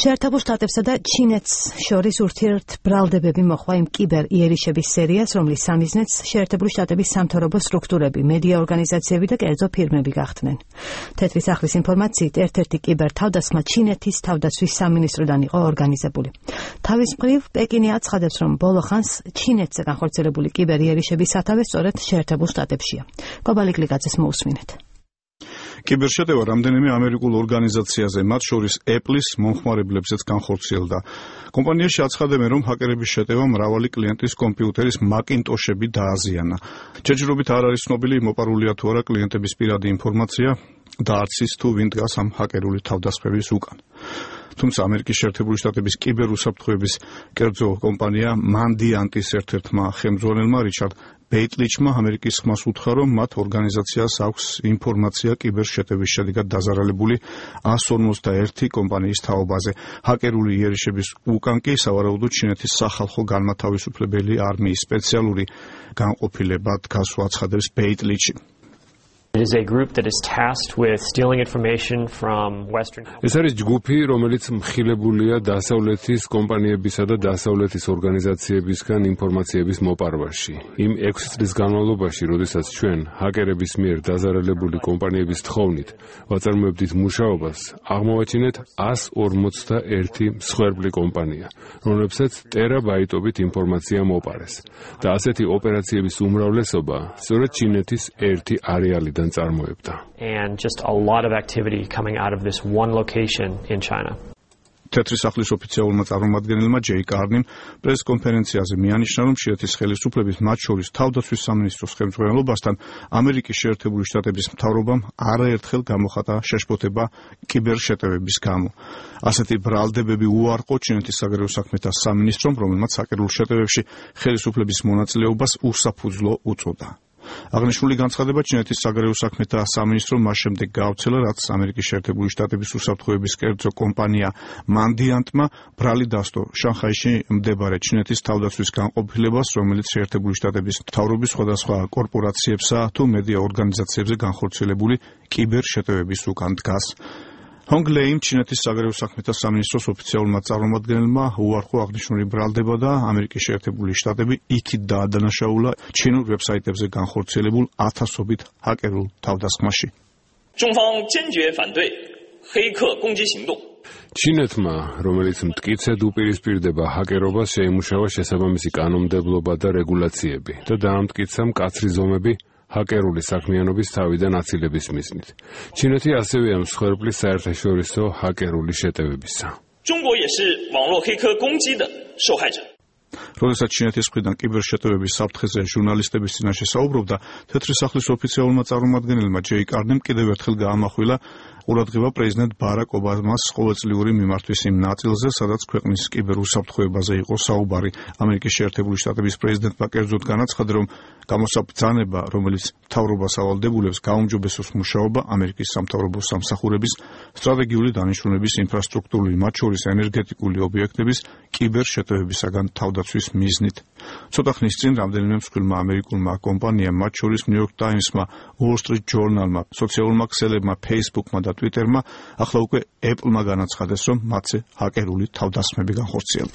შეერთებულ შტატებსა და ჩინეთს შორის ურთიერთბრალდებები მოჰყვა იმ კიბერ იერიშების სერიას, რომლის სამიზნეც შეერთებული შტატების სამთავრობო სტრუქტურები, მედია ორგანიზაციები და კერძო ფირმები გახდნენ. თეთრი სახლის ინფორმაციით, ერთ-ერთი კიბერ თავდასხმა ჩინეთის თავდაცვის სამინისტროდან იყო ორგანიზებული. თავის მხრივ, პეკინი აცხადებს, რომ ბოლო ხანს ჩინეთზე განხორციელებული კიბერ იერიშების სათავე სწორედ შეერთებულ შტატებშია. კობალი გლიკაძეს მოусმინეთ. კიბერშეტევა რამდენიმე ამერიკულ ორგანიზაციაზე, მათ შორის Apple-ის მომხმარებლებზეც განხორციელდა. კომპანიაში აცხადებენ, რომ ჰაკერების შეტევამ მრავალი კლიენტის კომპიუტერის Macintosh-ები დააზიანა. ჯერჯერობით არ არის ცნობილი, მოპარულია თუ არა კლიენტების პირადი ინფორმაცია და არც ის თუ ვინ დგას ამ ჰაკერული თავდასხმების უკან. თუმცა ამერიკის შეერთებული შტატების კიბერუსაფრთხოების კერძო კომპანია Mandiant-ის ერთ-ერთმა ხელმძღვანელმა რიჩარდ ბეიტლიჩმა ამერიკის ხმას უთხრა, რომ მათ ორგანიზაციას აქვს ინფორმაცია კიბერშეტევის შედეგად დაზარალებული 151 კომპანიის თაობაზე. ჰაკერული იერიშების უკან კი სავარაუდოდ ჩინეთის სახალხო განმათავისუფლებელი არმიის სპეციალური განყოფილება დგას, აცხადებს ბეიტლიჩი. It is a group that is tasked with stealing information from Western. ეს არის ჯგუფი, რომელიც მხილებულია დასავლეთის კომპანიებისა და დასავლეთის ორგანიზაციებისგან ინფორმაციების მოპარვაში. იმ 6 წლის განმავლობაში, როდესაც ჩვენ ჰაკერების მიერ დაზარალებული კომპანიების თხოვნით ვაწარმოებდით მუშაობას, აღმოვაჩინეთ 151 მსხვერპლი კომპანია, რომლებსაც ტერაბაიტობით ინფორმაცია მოპარეს. და ასეთი ოპერაციების უმრავლესობა სწორედ ჩინეთის ერთი არეალიდან and just a lot of activity coming out of this one location in China. თეთრი სახლის ოფიციალურმა წარმომადგენელმა ჯეი კარნიმ პრესკონფერენციაზე მიანიშნა, რომ ჩინეთის ხელისუფლების, მათ შორის თავდაცვის სამინისტროს ხელმძღვანელობასთან ამერიკის შეერთებული შტატების მთავრობამ არაერთხელ გამოხატა შეშფოთება კიბერშეტევების გამო. ასეთი ბრალდებები უარყო ჩინეთის საგარეო საქმეთა სამინისტრომ, რომელმაც ჰაკერულ შეტევებში ხელისუფლების მონაწილეობას უსაფუძვლო უწოდა. აღნიშნული განცხადება ჩინეთის საგარეო საქმეთა სამინისტრომ მას შემდეგ გაავრცელა, რაც ამერიკის შეერთებული შტატების უსაფრთხოების კერძო კომპანია Mandiant-მა ბრალი დასტო შანხაიში მდებარე ჩინეთის თავდაცვის განყოფილებას, რომელიც შეერთებული შტატების მთავრობის სხვადასხვა კორპორაციებსა თუ მედია ორგანიზაციებზე განხორციელებული კიბერშეტევების უკან დგას. ჰონგლეიმ ჩინეთის საგარეო საქმეთა სამინისტროს ოფიციალურმა წარმომადგენელმა უარყო აღნიშნული ბრალდება და ამერიკის შეერთებული შტატები იქით დაადანაშაულა ჩინურ ვებსაიტებზე განხორციელებულ ათასობით ჰაკერულ თავდასხმაში. ჩინეთმა, რომელიც მტკიცედ უპირისპირდება ჰაკერობას, შეიმუშავა შესაბამისი კანონმდებლობა და რეგულაციები და დაამტკიცა მკაცრი ზომები ჰაკერული საქმიანობის თავიდან აცილების მიზნით. ჩინეთი ასევეა მსხვერპლის საერთაშორისო ჰაკერული შეტევებისა. როდესაც ჩინეთის მხრიდან კიბერშეტევების საფრთხეზე ჟურნალისტების წინაშე საუბრობდა, თეთრი სახლის ოფიციალურმა წარმომადგენელმა ჯეი კარნიმ კიდევ ერთხელ გაამახვილა ყურადღება პრეზიდენტ ბარაკ ობამას ყოველწლიური მიმართვის იმ ნაწილზე, სადაც ქვეყნის კიბერუსაფრთხოებაზე იყო საუბარი. ამერიკის შეერთებული შტატების პრეზიდენტმა კერძოდ განაცხადა, რომ გამოსაბრძანება, რომელიც მთავრობას ავალდებულებს, გაუმჯობესოს მუშაობა ამერიკის სამთავრობო სამსახურების სტრატეგიული დანიშნულების ინფრასტრუქტურული, მათ შორის ენერგეტიკული ობიექტების კიბერშეტევებისაგან თავდაცვის მიზნით. ცოტა ხნის წინ რამდენიმე მსხვილმა ამერიკულმა კომპანიამ, მათ შორის New York Times-მა, Wall Street Journal-მა, სოციალურმა ქსელებმა, Facebook-მა და Twitter-მა, ახლა უკვე Apple-მა განაცხადეს, რომ მათზე ჰაკერული თავდასხმები განხორციელდა.